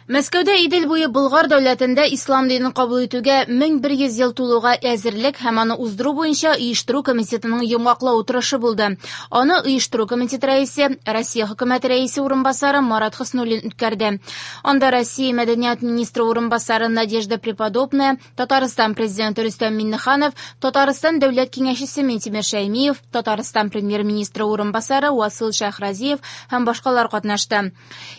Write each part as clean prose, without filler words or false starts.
Мәскәүдә Идел буе Болгар дәүләтендә ислам динен кабул итүгә 1100 ел тулуга әзерлек һәм аны уздыру буенча оештыру комитетының йомгаклау утырышы булды. Аны оештыру комитеты рәисе, Россия хөкүмәте рәисе урынбасары Марат Хөснуллин үткәрде. Анда Россия мәдәният министры урынбасары Надежда Преподобная, Татарстан президенты Рөстәм Миңнеханов, Татарстан дәүләт киңәшчесе Минтимер Шәймиев, Татарстан премьер-министры урынбасары Васил Шәйхразиев һәм башкалар катнашты.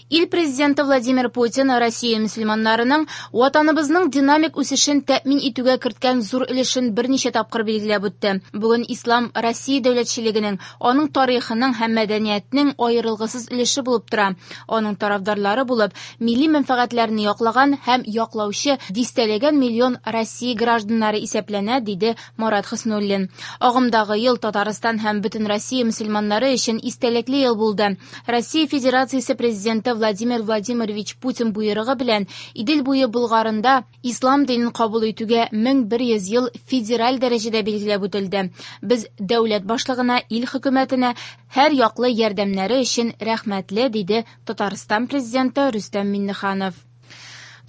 Ил президенты Владимир Путин Россия мөселманнарының Ватаныбызның динамик үсешен тәэмин итүгә керткән зур өлешен берничә тапкыр билгеләп үтте. Бүген ислам Россия дәүләтчелегенең, аның тарихының һәм мәдәниятенең аерылгысыз өлеше булып тора. Аның тарафдарлары булып, милли мәнфәгатьләрне яклаган һәм яклаучы дистәләгән миллион Россия гражданнары исәпләнә, диде Марат Хөснуллин. Агымдагы ел Татарстан һәм бөтен Россия мөселманнары өчен истәлекле ел булды. Россия Федерациясе президенты Владимир Владимирович Путин боерыгы белән Идел буе Болгарында ислам динен кабул итүгә 1100 ел федераль дәрәҗәдә билгеләп үтелде. Без дәүләт башлыгына, ил хөкүмәтенә һәр яклы ярдәмнәре өчен рәхмәтле, диде Татарстан президенты Рөстәм Миңнеханов.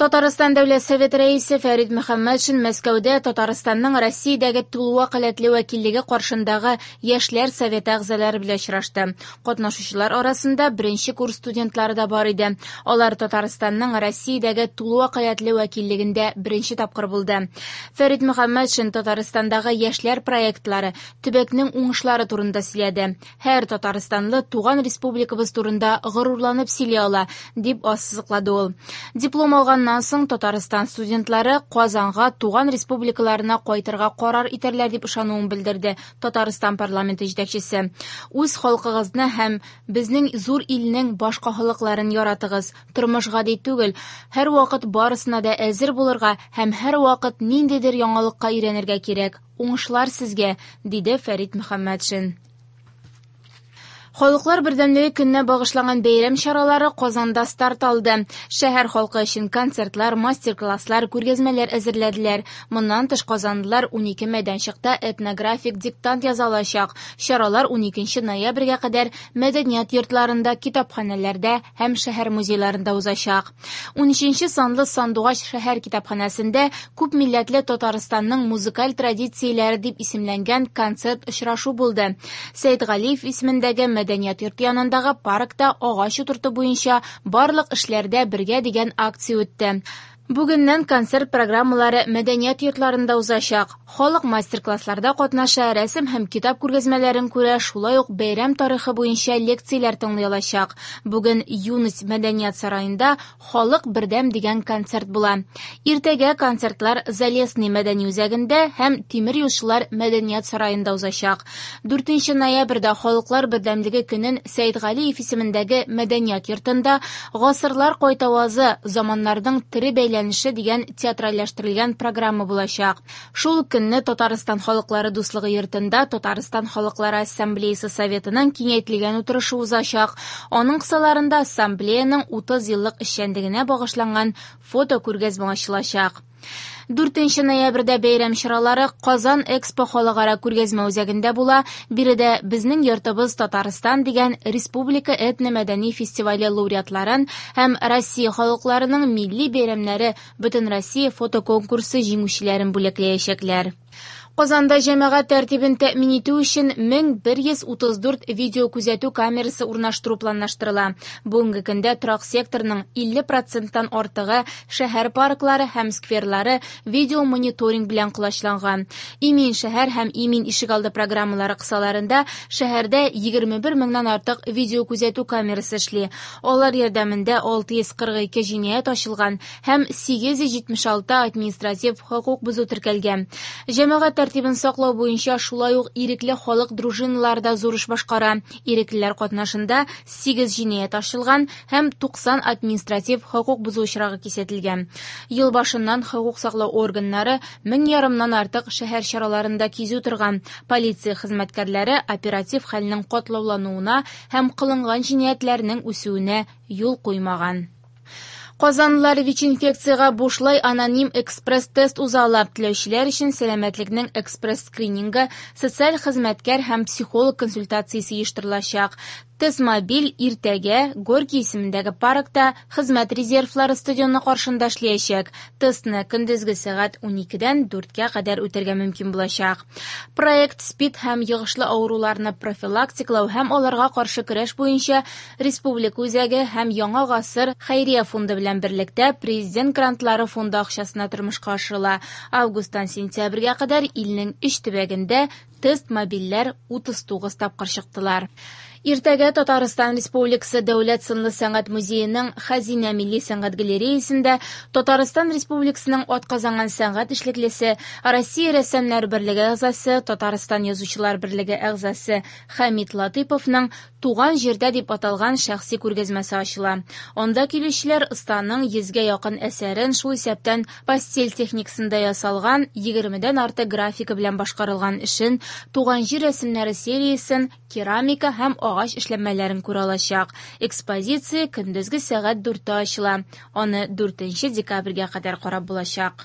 Татарстан Дәүләт Советы рәисе Фәрит Мөхәммәтшин Мәскәүдә Татарстанның Россиядәге тулы вәкаләтле вәкиллеге каршындагы Яшьләр советы әгъзалары белән очрашты. Катнашучылар арасында беренче курс студентлары да бар иде. Алар Татарстанның Россиядәге тулы вәкаләтле вәкиллегендә беренче тапкыр булды. Фәрит Мөхәммәтшин Татарстандагы яшьләр проектлары, төбәкнең уңышлары турында сөйләде. Һәр татарстанлы туган республикабыз турында горурланып сөйли ала, дип ассызыклады ул. Диплом алганнан соң Татарстан студентлары Казанга туган республикаларына кайтырга карар итәрләр дип ышануын белдерде Татарстан парламенты җитәкчесе. Үз халкыгызны һәм безнең зур илнең башка халыкларын яратыгыз. Тормыш гади түгел. Һәрвакыт барысына да әзер булырга һәм һәрвакыт ниндидер яңалыкка өйрәнергә кирәк. Уңышлар сезгә, диде Фәрит Мөхәммәтшин. Халыклар бердәмлеге көненә багышланган бәйрәм чаралары Казанда старт алды. Шәһәр халкы өчен концертлар, мастер-класслар, күргәзмәләр әзерләделәр. Моннан тыш казанлылар 12 мәйданчыкта этнографик диктант яза алачак. Чаралар 12 ноябрьгә кадәр мәдәният йортларында, китапханәләрдә һәм шәһәр музейларында узачак. 13 санлы Сандугач шәһәр китапханәсендә күп милләтле Татарстанның музыкаль традицияләре дип исемләнгән концерт очрашу булды. Сәйдгалиев исемендәге мәдәният йорты янындагы паркта агач утырту буенча барлык эшләрдә бергә дигән акция үтте. Бүгеннән концерт программалары мәдәният йортларында узачак. Халык мастер-классларда катнаша, рәсем һәм китап күргәзмәләрен күрә, шулай ук бәйрәм тарихы буенча лекцияләр тыңлый алачак. Бүген Юность мәдәният сараенда Халык бердәм дигән концерт була. Иртәгә концертлар Залесный мәдәни үзәгендә һәм Тимер юлчылар мәдәният сараенда узачак. 4 ноябрьдә Халыклар бердәмлеге көнен Сәйдгалиев исемендәге мәдәният йортында Гасырлар кайтавазы заманнарның тере бәйләнеше дигән театральләштерелгән программа булачак. Шул ук көнне Татарстан халыклары дуслыгы йортында Татарстан халыклары ассамблеясы советының киңәйтелгән утырышы узачак. Аның кысаларында ассамблеяның 30 еллык эшчәнлегенә багышланган фото күргәзмә ачылачак. 4 ноябрьдә бәйрәм чаралары Казан Экспо халыкара күргәзмә үзәгендә була. Биредә Безнең йортыбыз Татарстан дигән республика этномәдәни фестивале лауреатларын һәм Россия халыкларының милли бәйрәмнәре Бөтенроссия фотоконкурсы җиңүчеләрен бүләкләячәкләр. Казанда җәмәгать тәртибен тәэмин итү өчен 1134 видеокүзәтү камерасы урнаштыру планлаштырыла. Бүгенге көндә торак секторының 50 проценттан артыгы шәһәр парклары һәм скверлары видеомониторинг белән колачланган. Имин шәһәр һәм Имин ишегалды программалары кысаларында шәһәрдә 21 меңнән артык видеокүзәтү камерасы эшли. Алар ярдәмендә 642 җинаять ачылган һәм 876 административ хокук бозу теркәлгән. Җәмәгать тәртибен саклау буенча шулай ук ирекле халык дружиналары да зур эш башкара. Иреклеләр катнашында 8 җинаять ачылган һәм 90 административ хокук бозу очрагы кисәтелгән. Ел башыннан хокук саклау органнары мең ярымнан артык шәһәр чараларында кизү торган. Полиция хезмәткәрләре оператив хәлнең катлаулануына һәм кылынган җинаятьләрнең үсүенә юл куймаган. Казанлылар ВИЧ-инфекциягә бушлай аноним экспресс-тест уза ала. Теләүчеләр өчен сәламәтлекнең экспресс-скринингы, социаль хезмәткәр һәм психолог консультациясе оештырылачак. Тест-мобиль иртәгә Горький исемендәге паркта Хезмәт резервлары стадионы каршында эшләячәк. Тестны көндезге сәгать 12-дән 4-кә кадәр үтәргә мөмкин булачак. Проект СПИД һәм йогышлы авыруларны профилактикалау һәм аларга каршы көрәш буенча республика үзәге һәм Яңа гасыр хәйрия фонды белән берлектә Президент грантлары фонды акчасына тормышка ашырыла. Августтан сентябрьгә кадәр илнең өч төбәгендә тест-мобильләр 39 тапкыр чыктылар. Иртәгә Татарстан Республикасы Дәүләт сынлы сәнгать музееның Хәзинә милли сәнгать галереясендә Татарстан Республикасының атказанган сәнгать эшлеклесе, Россия рәссамнар берлеге әгъзасы, Татарстан язучылар берлеге әгъзасы Хәмит Латыйповның Туган җирдә дип аталган шәхси күргәзмәсе ачыла. Анда килүчеләр останың йөзгә якын әсәрен, шул исәптән пастель техникасында ясалган 20дән артык графика белән башкарылган эшен, Туган җир рәсемнәре сериясен, керамика һәм агач эшләнмәләрен күрә алачак. Экспозиция көндезге сәгать 4-тә ачыла. Аны 4 декабрьгә кадәр карап булачак.